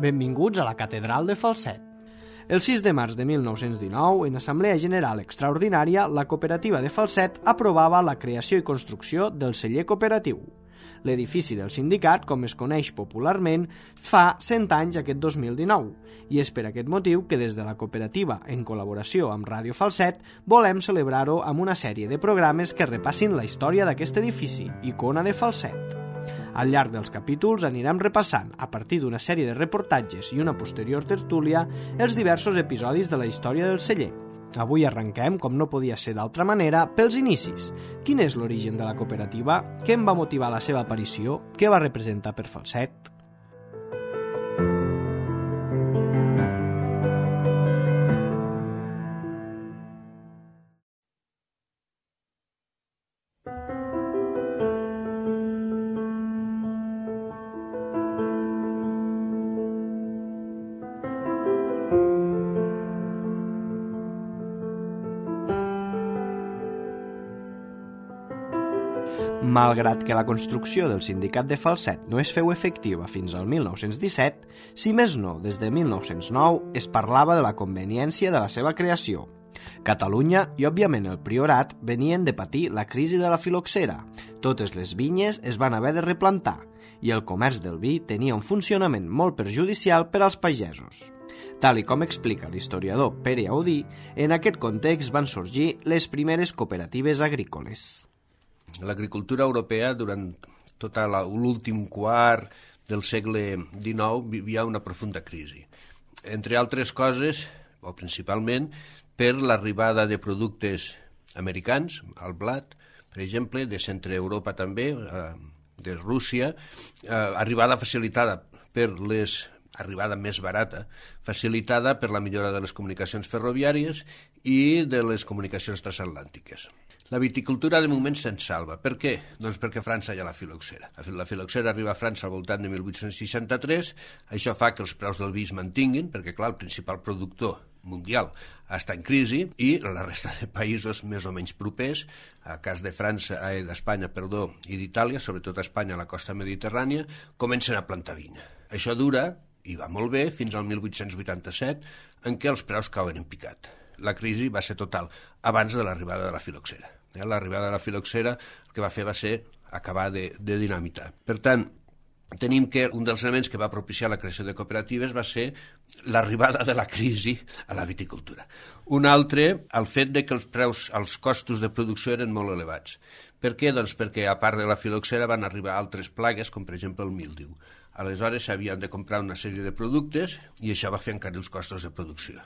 Benvinguts a la Catedral de Falset. El 6 de març de 1919, en Assemblea General Extraordinària, la Cooperativa de Falset aprovava la creació i construcció del celler cooperatiu. L'edifici del sindicat, com es coneix popularment, fa 100 anys aquest 2019, i és per aquest motiu que des de la cooperativa, en col·laboració amb Ràdio Falset, volem celebrar-ho amb una sèrie de programes que repassin la història d'aquest edifici, icona de Falset. Al llarg dels capítols anirem repassant, a partir d'una sèrie de reportatges i una posterior tertúlia, els diversos episodis de la història del celler. Avui arrenquem, com no podia ser d'altra manera, pels inicis. Quin és l'origen de la cooperativa? Què en va motivar la seva aparició? Què va representar per Falset? Malgrat que la construcció del sindicat de Falset no es feu efectiva fins al 1917, si més no, des de 1909 es parlava de la conveniència de la seva creació. Catalunya i, òbviament, el Priorat venien de patir la crisi de la filoxera. Totes les vinyes es van haver de replantar i el comerç del vi tenia un funcionament molt perjudicial per als pagesos. Tal i com explica l'historiador Pere Audí, en aquest context van sorgir les primeres cooperatives agrícoles. L'agricultura europea, durant tot l'últim quart del segle XIX, vivia una profunda crisi. Entre altres coses, o principalment, per l'arribada de productes americans, el blat, per exemple, de Centre Europa també, de Rússia, arribada facilitada per arribada més barata, facilitada per la millora de les comunicacions ferroviàries i de les comunicacions transatlàntiques. La viticultura de moment se'n salva. Per què? Doncs perquè a França hi ha la filoxera. La filoxera arriba a França al voltant de 1863, això fa que els preus del vi es mantinguin, perquè clar, el principal productor mundial està en crisi i la resta de països més o menys propers, a cas de d'Espanya, i d'Itàlia, sobretot a Espanya, a la costa mediterrània, comencen a plantar vinya. Això dura, i va molt bé, fins al 1887, en què els preus cauen en picat. La crisi va ser total abans de l'arribada de la filoxera. L'arribada de la filoxera el que va fer va ser acabar de dinamitar. Per tant, tenim que un dels elements que va propiciar la creació de cooperatives va ser l'arribada de la crisi a la viticultura. Un altre, el fet de que els costos de producció eren molt elevats. Per què? Doncs perquè a part de la filoxera van arribar altres plagues, com per exemple el míldiu. Aleshores s'havien de comprar una sèrie de productes i això va fer encarir els costos de producció.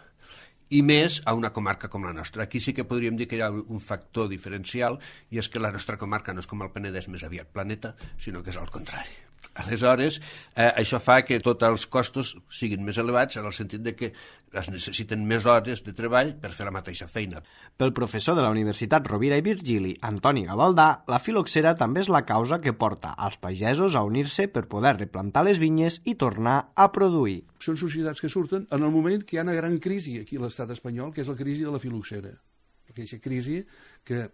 I més a una comarca com la nostra. Aquí sí que podríem dir que hi ha un factor diferencial i és que la nostra comarca no és com el Penedès més aviat planeta, sinó que és al contrari. Aleshores, això fa que tots els costos siguin més elevats en el sentit de que es necessiten més hores de treball per fer la mateixa feina. Pel professor de la Universitat Rovira i Virgili, Antoni Gavaldà, la filoxera també és la causa que porta als pagesos a unir-se per poder replantar les vinyes i tornar a produir. Són societats que surten en el moment que hi ha una gran crisi aquí a l'estat espanyol, que és la crisi de la filoxera. Aquesta crisi que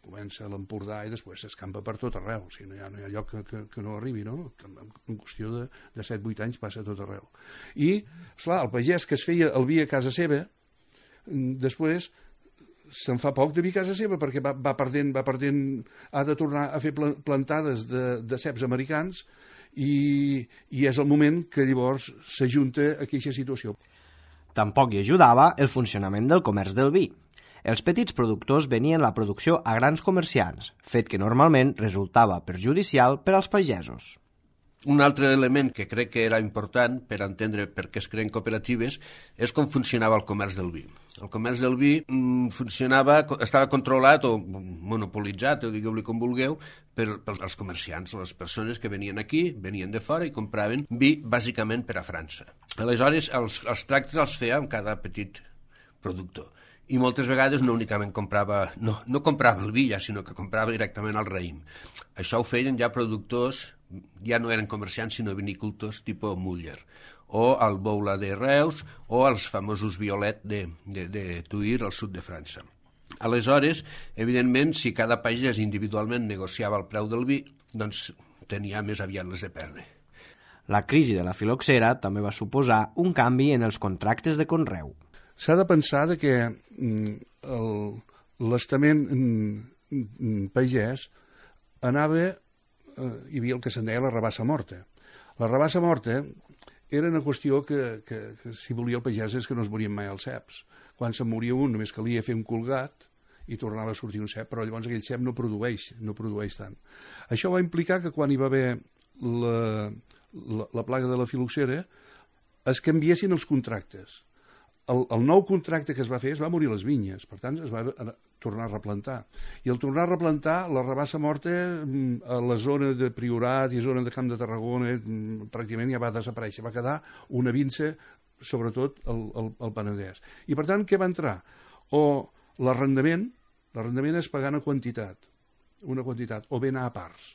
comença a l'Empordà i després s'escampa per tot arreu, o sigui, no hi ha lloc que no arribi, no? En qüestió de 7-8 anys passa a tot arreu. I, esclar, el pagès que es feia el vi a casa seva, després se'n fa poc de vi a casa seva perquè va perdent, ha de tornar a fer plantades de ceps americans i és el moment que llavors s'ajunta aquesta situació. Tampoc hi ajudava el funcionament del comerç del vi. Els petits productors venien la producció a grans comerciants, fet que normalment resultava perjudicial per als pagesos. Un altre element que crec que era important per entendre per què es creen cooperatives és com funcionava el comerç del vi. El comerç del vi estava controlat o monopolitzat, o digueu-li com vulgueu, pels comerciants, les persones que venien aquí, venien de fora i compraven vi bàsicament per a França. Aleshores, els tractes els feia amb cada petit productor. I moltes vegades no únicament comprava, no comprava el vi ja, sinó que comprava directament el raïm. Això ho feien ja productors, ja no eren comerciants sinó vinicultors tipus Muller, o el Boula de Reus, o els famosos Violet de Tuïr al sud de França. Aleshores, evidentment, si cada pagès individualment negociava el preu del vi, doncs tenia més aviat les de perdre. La crisi de la filoxera també va suposar un canvi en els contractes de conreu. S'ha de pensar que l'estament pagès anava, hi havia el que se'n deia la rabassa morta. La rabassa morta era una qüestió que si volia el pagès és que no es morien mai els ceps. Quan se'n moria un només calia fer un colgat i tornava a sortir un cep, però llavors aquell cep no produeix tant. Això va implicar que quan hi va haver la plaga de la filoxera es canviessin els contractes. El nou contracte que es va fer es va morir les vinyes, per tant es va tornar a replantar. I al tornar a replantar, la rabassa morta a la zona de Priorat i zona de Camp de Tarragona pràcticament ja va desaparèixer, va quedar una vinça, sobretot al Penedès. I per tant, què va entrar? L'arrendament és pagar una quantitat, o bé anar a parts.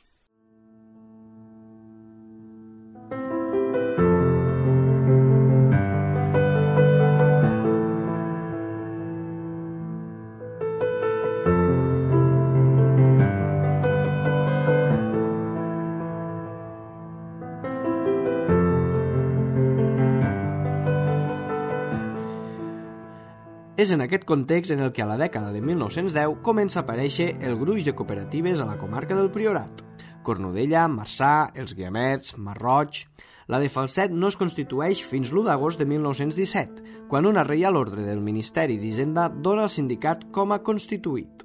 És en aquest context en el que a la dècada de 1910 comença a aparèixer el gruix de cooperatives a la comarca del Priorat. Cornudella, Marçà, els Guiamets, Marroig... La de Falset no es constitueix fins l'1 d'agost de 1917, quan una reial ordre del Ministeri d'Hisenda dona el sindicat com a constituït.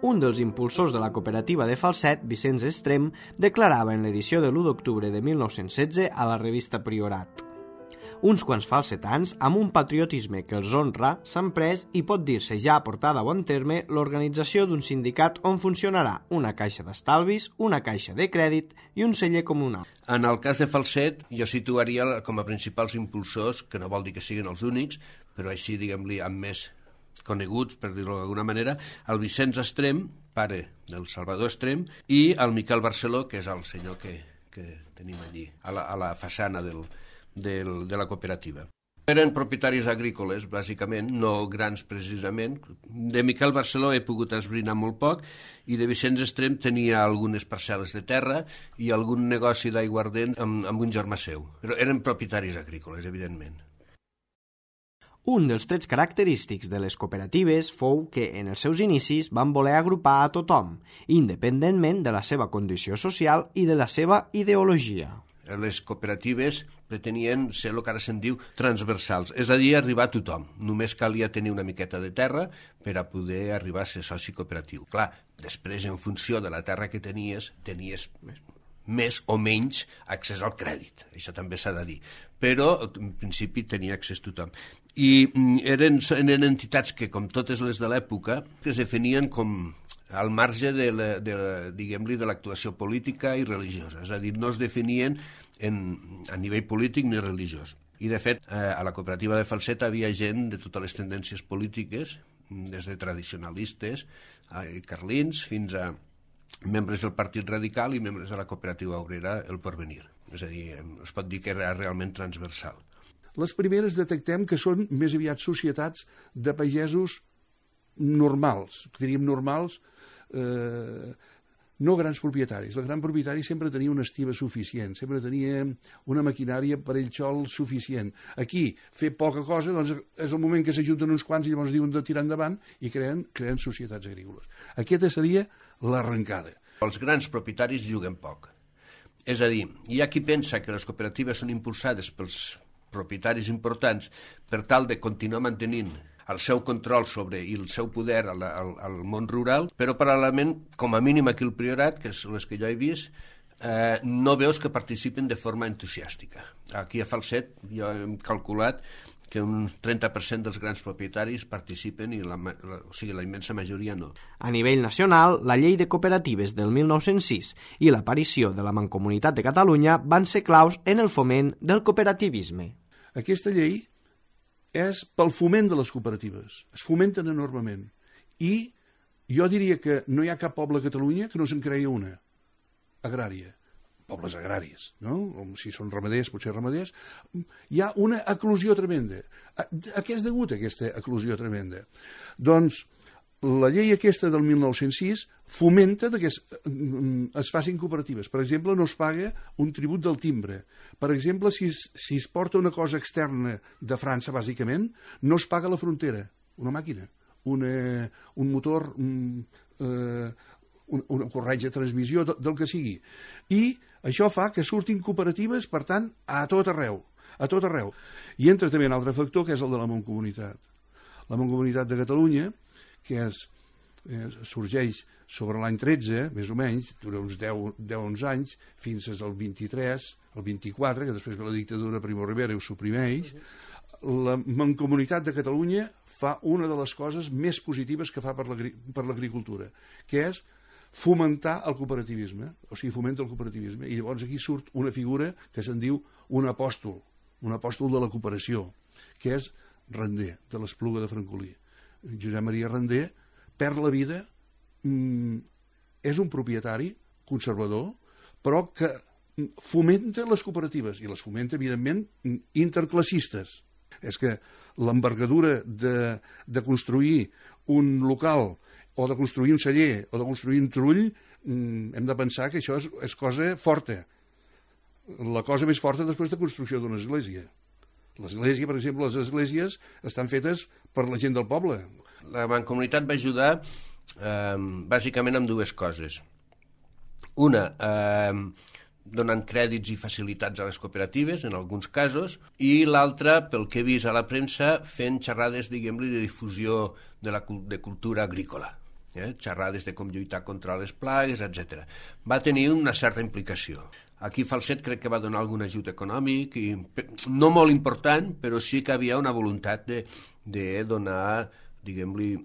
Un dels impulsors de la cooperativa de Falset, Vicenç Estrem, declarava en l'edició de l'1 d'octubre de 1916 a la revista Priorat: uns quants falsetans, amb un patriotisme que els honra, s'han pres i pot dir-se ja portada a bon terme l'organització d'un sindicat on funcionarà una caixa d'estalvis, una caixa de crèdit i un celler comunal. En el cas de Falset, jo situaria com a principals impulsors, que no vol dir que siguin els únics, però així, diguem-li, amb més coneguts, per dir-ho d'alguna manera, el Vicenç Estrem, pare del Salvador Estrem, i el Miquel Barceló, que és el senyor que tenim allí, a la façana de la cooperativa. Eren propietaris agrícoles, bàsicament, no grans precisament. De Miquel Barceló he pogut esbrinar molt poc i de Vicenç Estrem tenia algunes parcel·les de terra i algun negoci d'aiguardent amb un germà seu. Però eren propietaris agrícoles, evidentment. Un dels trets característics de les cooperatives fou que en els seus inicis van voler agrupar a tothom, independentment de la seva condició social i de la seva ideologia. Les cooperatives pretenien ser el que ara se'n diu transversals, és a dir, arribar a tothom. Només calia tenir una miqueta de terra per a poder arribar a ser soci cooperatiu. Clar, després, en funció de la terra que tenies més o menys accés al crèdit, això també s'ha de dir, però en principi tenia accés tothom. I eren entitats que, com totes les de l'època, es definien com al marge de l'actuació política i religiosa, és a dir, no es definien a nivell polític ni religiós. I, de fet, a la cooperativa de Falset havia gent de totes les tendències polítiques, des de tradicionalistes, carlins, fins a membres del Partit Radical i membres de la cooperativa obrera El Porvenir. És a dir, es pot dir que era realment transversal. Les primeres detectem que són més aviat societats de pagesos normals, diríem normals, no grans propietaris. El gran propietari sempre tenia una estiva suficient, sempre tenia una maquinària per ell sol suficient. Aquí, fer poca cosa, doncs és el moment que s'ajunten uns quants i llavors diuen de tirar endavant i creen societats agrícoles. Aquesta seria l'arrencada. Els grans propietaris juguen poc. És a dir, hi ha qui pensa que les cooperatives són impulsades pels propietaris importants per tal de continuar mantenint el seu control sobre i el seu poder al món rural, però paral·lelament, com a mínim aquí al Priorat, que és les que jo he vist, no veus que participen de forma entusiàstica. Aquí a Falset jo he calculat que un 30% dels grans propietaris participen i la immensa majoria no. A nivell nacional, la llei de cooperatives del 1906 i l'aparició de la Mancomunitat de Catalunya van ser claus en el foment del cooperativisme. Aquesta llei és pel foment de les cooperatives. Es fomenten enormement. I jo diria que no hi ha cap poble a Catalunya que no se'n creï una agrària. Pobles agraris, no? Si són ramaders, potser ramaders. Hi ha una eclosió tremenda. A què és degut aquesta eclosió tremenda? Doncs la llei aquesta del 1906 fomenta que es facin cooperatives. Per exemple, no es paga un tribut del timbre. Per exemple, si es porta una cosa externa de França, bàsicament, no es paga a la frontera. Una màquina, un motor, una corretja de transmissió, del que sigui. I això fa que surtin cooperatives, per tant, a tot arreu. A tot arreu. I entra també un altre factor, que és el de la Mancomunitat. La Mancomunitat de Catalunya, que sorgeix sobre l'any 13, més o menys, dura uns 10-11 anys, fins al 23, el 24, que després ve la dictadura Primo Rivera i ho suprimeix. La Mancomunitat de Catalunya fa una de les coses més positives que fa per l'agricultura, que és fomentar el cooperativisme, o sigui, fomenta el cooperativisme, i llavors aquí surt una figura que se'n diu un apòstol de la cooperació, que és Render, de l'Espluga de Francolí. Josep Maria Render perd la vida, és un propietari conservador, però que fomenta les cooperatives, i les fomenta, evidentment, interclassistes. És que l'envergadura de construir un local, o de construir un celler, o de construir un trull, hem de pensar que això és cosa forta. La cosa més forta després de construcció d'una església. L'església, per exemple, les esglésies estan fetes per la gent del poble. La Mancomunitat va ajudar bàsicament amb dues coses. Una, donant crèdits i facilitats a les cooperatives, en alguns casos, i l'altra, pel que he vist a la premsa, fent xerrades, diguem-li, de difusió de cultura agrícola. Xerrades de com lluitar contra les plagues, etc. Va tenir una certa implicació. Aquí Falset crec que va donar algun ajut econòmic, no molt important, però sí que havia una voluntat de donar, diguem-li,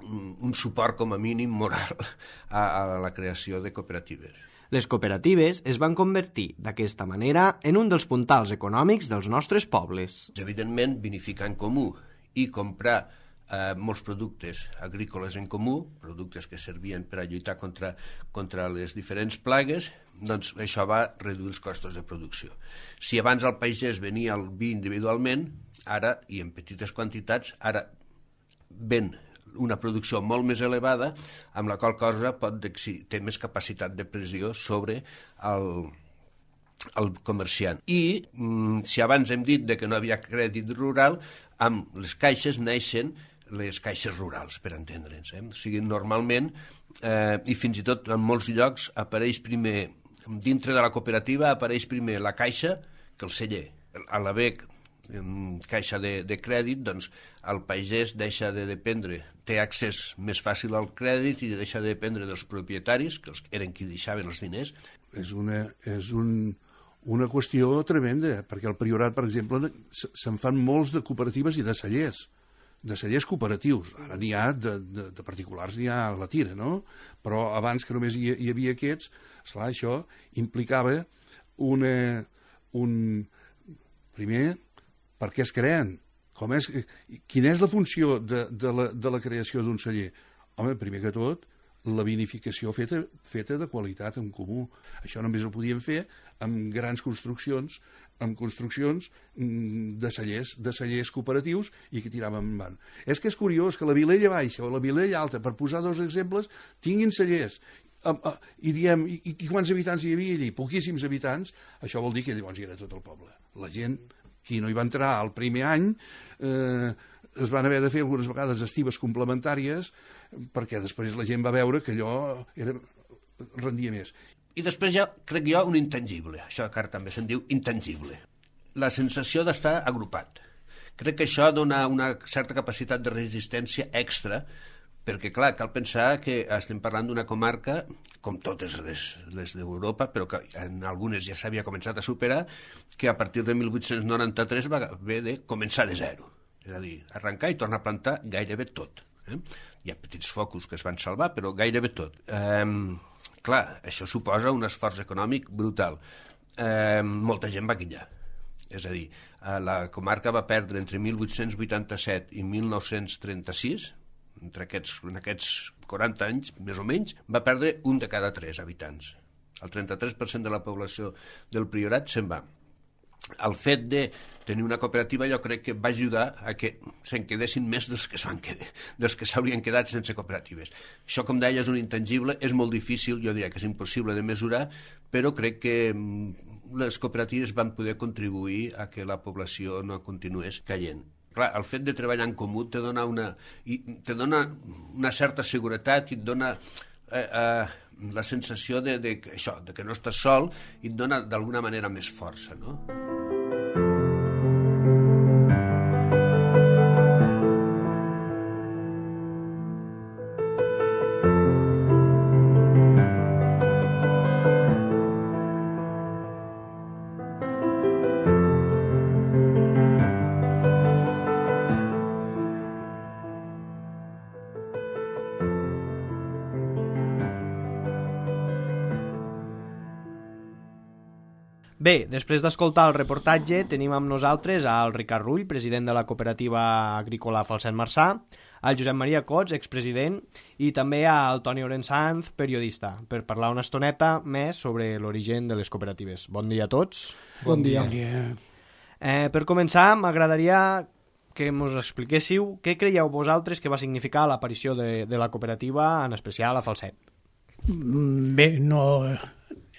un suport com a mínim moral a la creació de cooperatives. Les cooperatives es van convertir d'aquesta manera en un dels puntals econòmics dels nostres pobles. Evidentment, vinificar en comú i comprar molts productes agrícoles en comú, productes que servien per a lluitar contra les diferents plagues, doncs això va reduir els costos de producció. Si abans el pagès venia el vi individualment, ara, i en petites quantitats, ara ven una producció molt més elevada, amb la qual cosa té més capacitat de pressió sobre el comerciant. I si abans hem dit que no havia crèdit rural, amb les caixes neixen les caixes rurals, per entendre'ns. O sigui, normalment, i fins i tot en molts llocs, apareix primer, dintre de la cooperativa, apareix primer la caixa que el celler. A l'haver caixa de crèdit, doncs el pagès deixa de dependre, té accés més fàcil al crèdit i deixa de dependre dels propietaris, que eren qui deixaven els diners. És una qüestió tremenda, perquè al Priorat, per exemple, se'n fan molts de cooperatives i de cellers cooperatius. Ara n'hi ha, de particulars n'hi ha a la tira, no? Però abans que només hi havia aquests, esclar, això implicava primer, per què es creen? Quina és la funció de la creació d'un celler? Home, primer que tot, la vinificació feta de qualitat en comú. Això només ho podien fer amb grans construccions, de cellers cooperatius i que tiraven endavant. És que és curiós que la Vilella Baixa o la Vilella Alta, per posar dos exemples, tinguin cellers. I diem, i quants habitants hi havia allí? Poquíssims habitants. Això vol dir que llavors hi era tot el poble. La gent, qui no hi va entrar el primer any, es van haver de fer algunes vegades estives complementàries perquè després la gent va veure que allò rendia més. I després hi ha, crec jo, un intangible. Això que ara també se'n diu intangible. La sensació d'estar agrupat. Crec que això dona una certa capacitat de resistència extra, perquè, clar, cal pensar que estem parlant d'una comarca, com totes les d'Europa, però que en algunes ja s'havia començat a superar, que a partir de 1893 va haver de començar de zero. És a dir, arrencar i tornar a plantar gairebé tot. Hi ha petits focus que es van salvar, però gairebé tot. Clar, això suposa un esforç econòmic brutal. Molta gent va quillar. És a dir, la comarca va perdre entre 1887 i 1936, en aquests 40 anys, més o menys, va perdre un de cada 3 habitants. El 33% de la població del Priorat se'n va. El fet de tenir una cooperativa jo crec que va ajudar a que se'n quedessin més dels que s'haurien quedat sense cooperatives. Això, com deia, és un intangible, és molt difícil, jo diria que és impossible de mesurar, però crec que les cooperatives van poder contribuir a que la població no continués caient. Clar, el fet de treballar en comú te dona una certa seguretat i et dona la sensació de que no estàs sol i et dona d'alguna manera més força, no? Bé, després d'escoltar el reportatge, tenim amb nosaltres al Ricard Rull, president de la cooperativa agrícola Falset Marçà, al Josep Maria Cots, expresident, i també al Toni Orensanz, periodista, per parlar una estoneta més sobre l'origen de les cooperatives. Bon dia a tots. Bon dia. Per començar, m'agradaria que ens expliquéssiu què creieu vosaltres que va significar l'aparició de la cooperativa, en especial a Falset. Bé,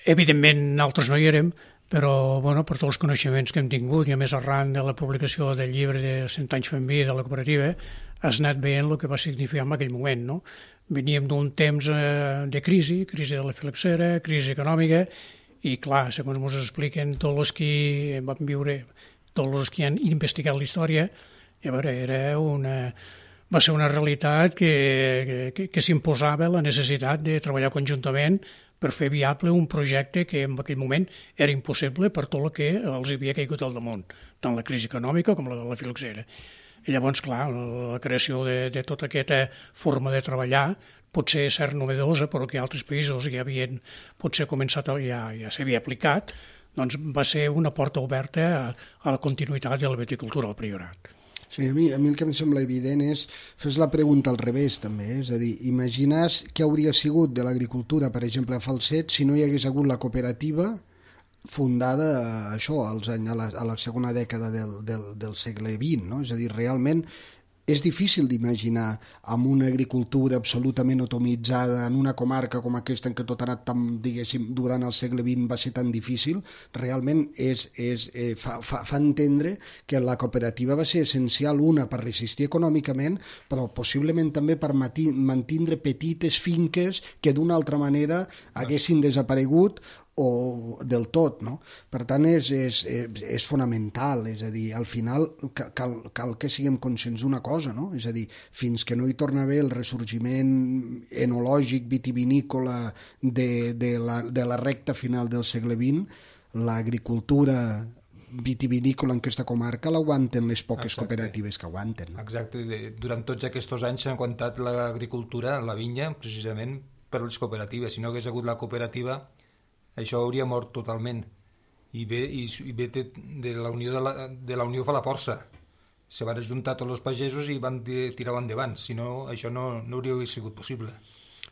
evidentment nosaltres no hi érem, però per tots els coneixements que hem tingut i a més arran de la publicació del llibre de 100 anys fent vi de la cooperativa has anat veient el que va significar en aquell moment, no? Veníem d'un temps de crisi de la filoxera, crisi econòmica i clar, segons ens expliquen tots els que van viure, tots els que han investigat la història, va ser una realitat que s'imposava la necessitat de treballar conjuntament per fer viable un projecte que en aquell moment era impossible per tot el que els havia caigut al damunt, tant la crisi econòmica com la filoxera. I llavors, clar, la creació de tota aquesta forma de treballar potser ser novedosa, però que altres països ja havien potser començat, ja s'havia aplicat, doncs va ser una porta oberta a la continuïtat de la viticultura al Priorat. Sí, a mi el que em sembla evident és fes la pregunta al revés també, és a dir, imagines què hauria sigut de l'agricultura, per exemple, a Falset, si no hi hagués hagut la cooperativa fundada a la segona dècada del segle XX, no? És a dir, realment és difícil d'imaginar amb una agricultura absolutament atomitzada en una comarca com aquesta en què tot ha anat tan, diguéssim, durant el segle XX va ser tan difícil, realment fa entendre que la cooperativa va ser essencial, una, per resistir econòmicament, però possiblement també per mantindre petites finques que d'una altra manera haguessin desaparegut o del tot, no? Per tant, és fonamental, és a dir, al final cal que siguem conscients d'una cosa, no? És a dir, fins que no hi torna a haver el ressorgiment enològic vitivinícola de la recta final del segle XX, l'agricultura vitivinícola en aquesta comarca l'aguanten les poques cooperatives que aguanten. Exacte, durant tots aquests anys s'ha aguantat l'agricultura, la vinya, precisament per les cooperatives. Si no hagués hagut la cooperativa, això hauria mort totalment. I bé de la unió fa la força. Se van ajuntar tots els pagesos i van tirar endavant. Si no, això no hauria sigut possible.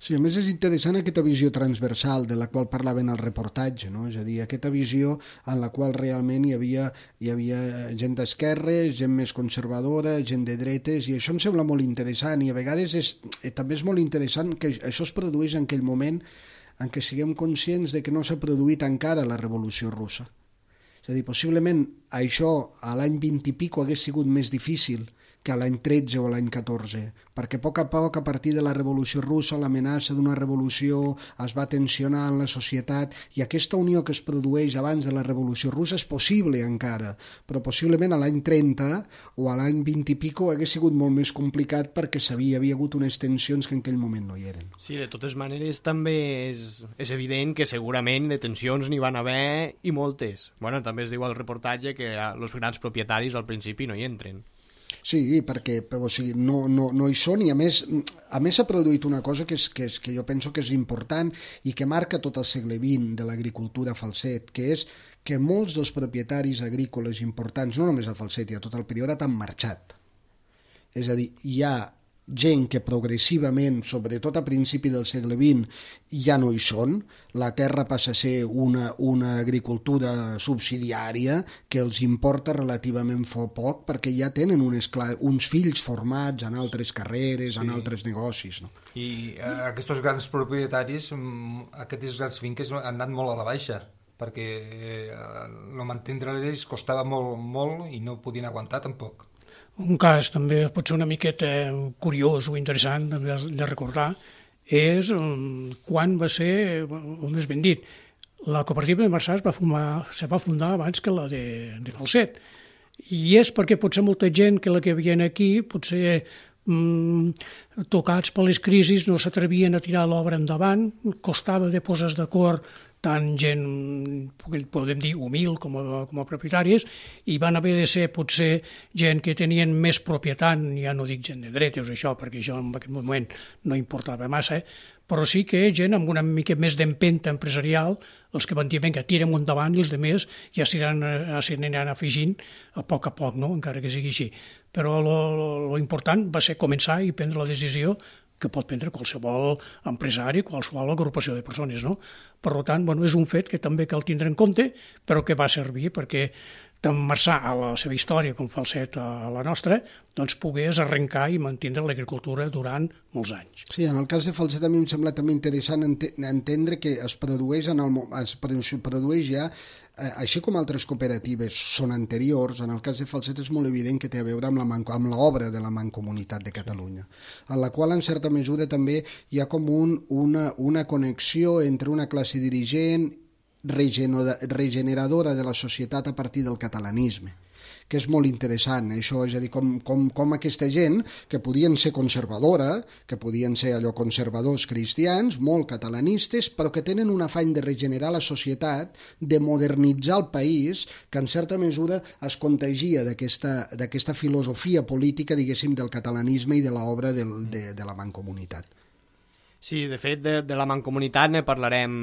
Sí, a més és interessant aquesta visió transversal de la qual parlaven al reportatge, no? És a dir, aquesta visió en la qual realment hi havia gent d'esquerra, gent més conservadora, gent de dretes, i això em sembla molt interessant, i a vegades també és molt interessant que això es produeix en aquell moment en què siguem conscients de que no s'ha produït encara la Revolució Russa. És a dir, possiblement això a l'any 20 i pico hagués sigut més difícil que a l'any 13 o l'any 14, perquè a poc, a partir de la Revolució Russa, l'amenaça d'una revolució es va tensionar en la societat, i aquesta unió que es produeix abans de la Revolució Russa és possible encara, però possiblement a l'any 30 o a l'any 20 i pico hagués sigut molt més complicat perquè hi havia hagut unes tensions que en aquell moment no hi eren. Sí, de totes maneres també és evident que segurament de tensions n'hi van haver i moltes. Bueno, també es diu al reportatge que els grans propietaris al principi no hi entren. Sí, perquè no hi són, i a més s'ha produït una cosa que jo penso que és important i que marca tot el segle XX de l'agricultura a Falset, que és que molts dels propietaris agrícoles importants, no només a Falset i a tot el Priorat, han marxat. És a dir, hi ha gent que progressivament, sobretot a principi del segle XX, ja no hi són, la terra passa a ser una agricultura subsidiària que els importa relativament poc perquè ja tenen uns fills formats en altres carreres, en altres negocis. No? I aquests grans propietaris, aquestes grans finques han anat molt a la baixa, perquè no mantindre-les costava molt i no podien aguantar tampoc. Un cas també pot ser una miqueta curiós o interessant de recordar és quan va ser, o més ben dit, la cooperativa de Marçà se va fundar abans que la de Falset. I és perquè potser molta gent que la que havien aquí, potser tocats per les crisis, no s'atrevien a tirar l'obra endavant, costava de posar d'acord tant gent, podem dir, humil com a propietaris, i van haver de ser potser gent que tenien més propietat, ja no dic gent de dretes o això, perquè això en aquest moment no importava massa, però sí que gent amb una mica més d'empenta empresarial, els que van dir, vinga, tirem endavant, i els altres ja s'aniran afegint a poc, no? Encara que sigui així. Però lo important va ser començar i prendre la decisió que pot prendre qualsevol empresari, qualsevol agrupació de persones, no? Per tant, és un fet que també cal tindre en compte, però que va servir perquè tant Marçà, a la seva història, com Falset a la nostra, doncs pogués arrencar i mantenir l'agricultura durant molts anys. Sí, en el cas de Falset a mi em sembla també interessant entendre que es produeix ja, així com altres cooperatives són anteriors, en el cas de Falset és molt evident que té a veure amb l'obra de la Mancomunitat de Catalunya, en la qual en certa mesura també hi ha com una connexió entre una classe dirigent regeneradora de la societat a partir del catalanisme, que és molt interessant, això, és a dir, com aquesta gent que podien ser conservadora, que podien ser allò conservadors cristians, molt catalanistes, però que tenen un afany de regenerar la societat, de modernitzar el país, que en certa mesura es contagia d'aquesta filosofia política, diguéssim, del catalanisme i de l'obra de la Mancomunitat. Sí, de fet, de la Mancomunitat ne parlarem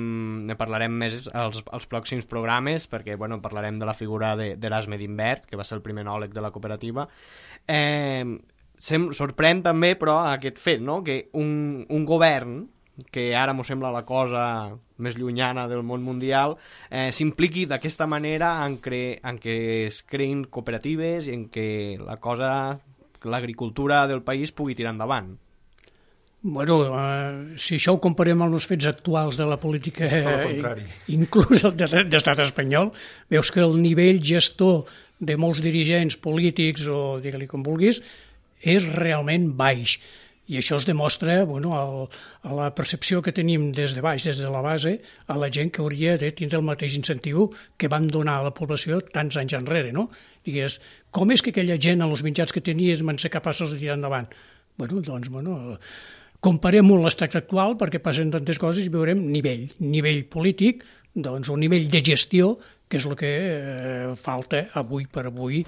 més als pròxims programes, perquè parlarem de la figura d'Erasme d'Imbert, que va ser el primer enòleg de la cooperativa. Sorprèn també, però, aquest fet, no?, que un govern, que ara m'ho sembla la cosa més llunyana del món mundial, s'impliqui d'aquesta manera en què es creïn cooperatives i en què l'agricultura del país pugui tirar endavant. Si això ho comparem amb els fets actuals de la política, inclús el de l'estat espanyol, veus que el nivell gestor de molts dirigents polítics, o digue-li com vulguis, és realment baix. I això es demostra a la percepció que tenim des de baix, des de la base, a la gent que hauria de tindre el mateix incentiu que van donar a la població tants anys enrere, no? Digues, com és que aquella gent, als mitjans que tenies, van ser capaços de tirar endavant? Comparem-ho amb l'estat actual perquè passen tantes coses i veurem nivell polític, un nivell de gestió, que és el que falta avui per avui,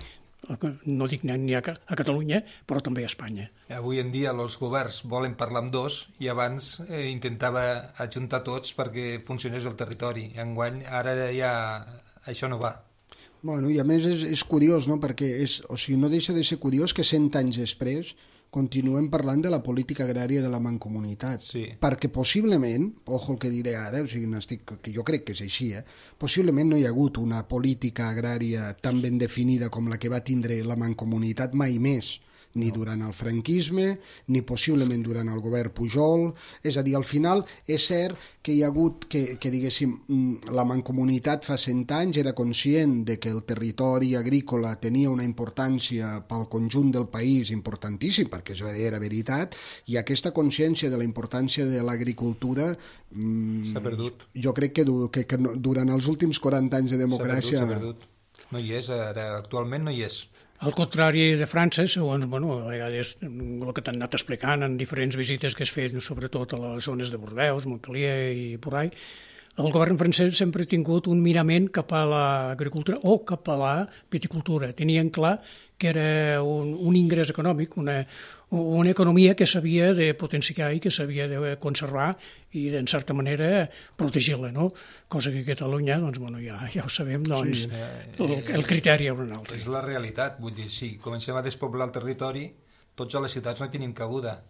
no dic ni a Catalunya, però també a Espanya. Avui en dia els governs volen parlar amb dos i abans intentava ajuntar tots perquè funcionés el territori. Enguany, ara ja això no va. I a més és curiós, no?, perquè no deixa de ser curiós que 100 anys després continuem parlant de la política agrària de la Mancomunitat, sí. Perquè possiblement, ojo el que diré ara, que jo crec que és així, possiblement no hi ha hagut una política agrària tan ben definida com la que va tindre la Mancomunitat mai més, ni durant el franquisme, ni possiblement durant el govern Pujol. És a dir, al final és cert que hi ha hagut que diguéssim, la Mancomunitat fa 100 anys era conscient de que el territori agrícola tenia una importància pel conjunt del país importantíssim, perquè era veritat, i aquesta consciència de la importància de l'agricultura s'ha perdut. Jo crec que durant els últims 40 anys de democràcia... S'ha perdut. No hi és, ara actualment no hi és. Al contrari de França, segons a vegades el que t'han anat explicant en diferents visites que has fet, sobretot a les zones de Bordeus, Montpellier i por ahí, el govern francès sempre ha tingut un mirament cap a l'agricultura o cap a la viticultura. Tenien clar que era un ingrés econòmic, una economia que s'havia de potenciar i que s'havia de conservar i, en certa manera, protegir-la, no? Cosa que a Catalunya, doncs, bueno, ja ho sabem, doncs, el criteri és un altre. És la realitat, vull dir, si comencem a despoblar el territori, tots a les ciutats no tenim cabuda.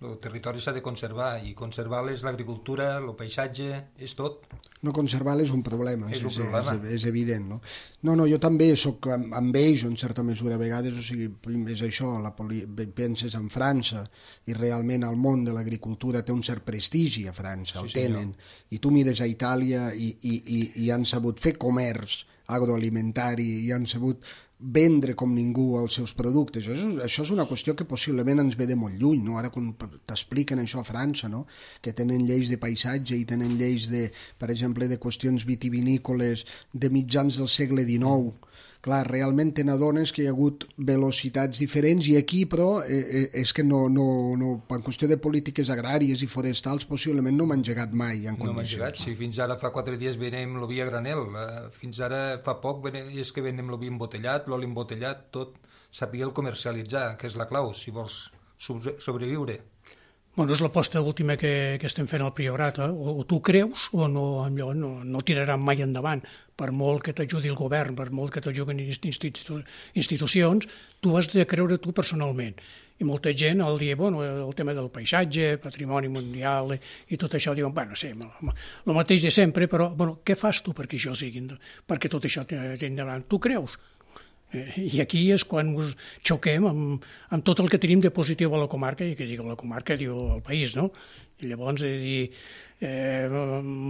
El territori s'ha de conservar, i conservar és l'agricultura, el paisatge, és tot. No conservar-lo és un problema, és un problema. És evident, no? No, jo també soc amb ells, en certa mesura, a vegades, o sigui, és això, penses en França, i realment el món de l'agricultura té un cert prestigi a França, el tenen, i tu mires a Itàlia i han sabut fer comerç agroalimentari, i han sabut vendre com ningú els seus productes. Això és una qüestió que possiblement ens ve de molt lluny, no? Ara quan t'expliquen això a França, no? Que tenen lleis de paisatge i tenen lleis, per exemple, de qüestions vitivinícoles de mitjans del segle XIX. Clar, realment te n'adones que hi ha hagut velocitats diferents, i aquí, però, és que no, per qüestió de polítiques agràries i forestals, possiblement no m'han engegat mai en condicions. No m'han engegat, sí, fins ara fa 4 dies venem el vi a granel, fins ara fa poc és que venem el vi embotellat, l'oli embotellat, tot, saber el comercialitzar, que és la clau, si vols sobreviure. Bueno, és l'aposta última que estem fent al Priorat, o tu creus o no tiraran mai endavant, per molt que t'ajudi el govern, per molt que t'ajudin institucions, tu has de creure tu personalment. I molta gent al dir, bueno, el tema del paisatge, patrimoni mundial i tot això, diuen, bueno, sí, el mateix de sempre, però, bueno, què fas tu perquè això sigui, perquè tot això tiri endavant? Tu creus? I aquí és quan ens xoquem amb tot el que tenim de positiu a la comarca, i que diu la comarca, diu el país, no? I llavors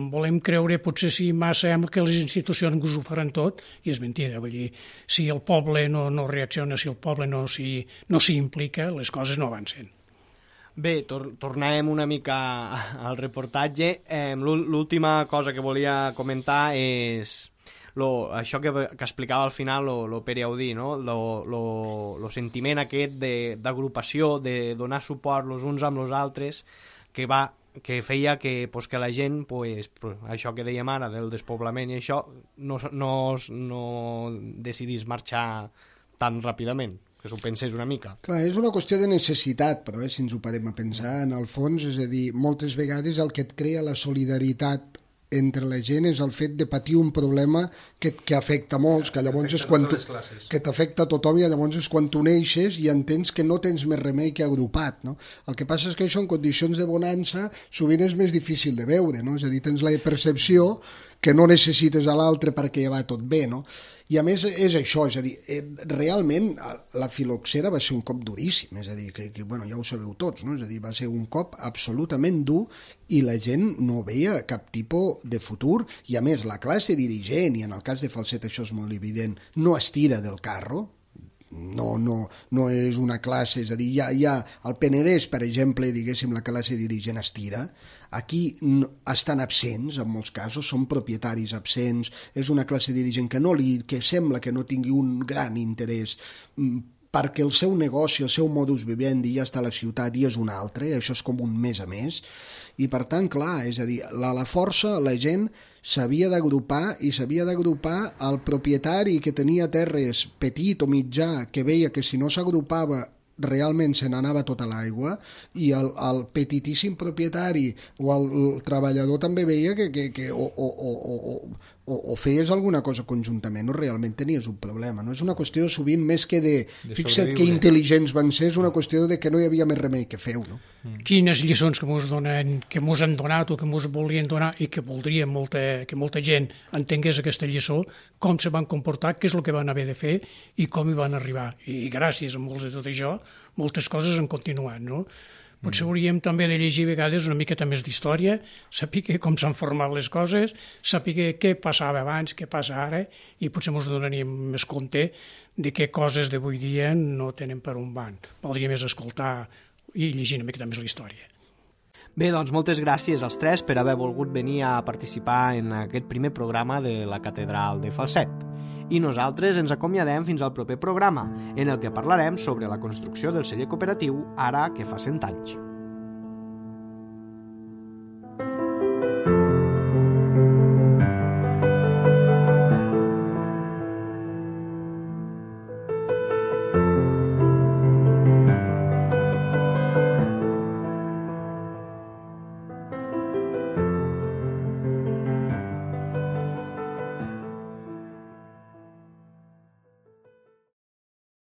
volem creure potser si massa que les institucions us ho faran tot, i és mentida. Vull dir, si el poble no reacciona, si el poble no s'hi implica, les coses no avancen. Bé, tornàvem una mica al reportatge. L'última cosa que volia comentar és això que explicava al final el Pere Audí, no? El sentiment aquest d'agrupació, de donar suport els uns amb els altres, que feia que la gent, això que dèiem ara del despoblament i això, no decidís marxar tan ràpidament, que s'ho pensés una mica. Clar, és una qüestió de necessitat, però si ens ho parem a pensar, en el fons, és a dir, moltes vegades el que et crea la solidaritat entre la gent és el fet de patir un problema que afecta molts, que llavors és quan que t'afecta a tothom, i llavors és quan tu neixes i entens que no tens més remei que agrupat, no? El que passa és que això en condicions de bonança sovint és més difícil de veure, no? És a dir, tens la percepció que no necessites a l'altre perquè ja va tot bé, no? I a més és això, és a dir, realment la filoxera va ser un cop duríssim, és a dir, que bueno, ja ho sabeu tots, no? És a dir, va ser un cop absolutament dur i la gent no veia cap tipus de futur, i a més la classe dirigent, i en el cas de Falset això és molt evident, no es tira del carro, no és una classe, és a dir, hi ha el Penedès, per exemple, diguéssim, la classe dirigent es tira. Aquí estan absents, en molts casos, són propietaris absents, és una classe dirigent que sembla que no tingui un gran interès perquè el seu negoci, el seu modus vivendi ja està a la ciutat i és un altre, això és com un mes a més, i per tant, clar, és a dir, la força, la gent s'havia d'agrupar, i s'havia d'agrupar el propietari que tenia terres petit o mitjà, que veia que si no s'agrupava realment se n'anava tota l'aigua, i el petitíssim propietari o el treballador també veia que o feies alguna cosa conjuntament o realment tenies un problema, no? És una qüestió sovint més que de fixa't que intel·ligents van ser, és una qüestió de que no hi havia més remei que feu, no? Quines lliçons que mos han donat o que mos volien donar i que voldrien que molta gent entengués aquesta lliçó, com se van comportar, què és el que van haver de fer i com hi van arribar. I gràcies a molts de tot això, moltes coses han continuat, no? Potser hauríem també de llegir a vegades una miqueta més d'història, saber com s'han format les coses, saber què passava abans, què passa ara, i potser ens donaríem més compte de què coses d'avui dia no tenen per on van. Valdria més escoltar i llegir una miqueta més la història. Bé, doncs moltes gràcies als tres per haver volgut venir a participar en aquest primer programa de la Catedral de Falset. I nosaltres ens acomiadem fins al proper programa, en el que parlarem sobre la construcció del celler cooperatiu ara que fa 100 anys.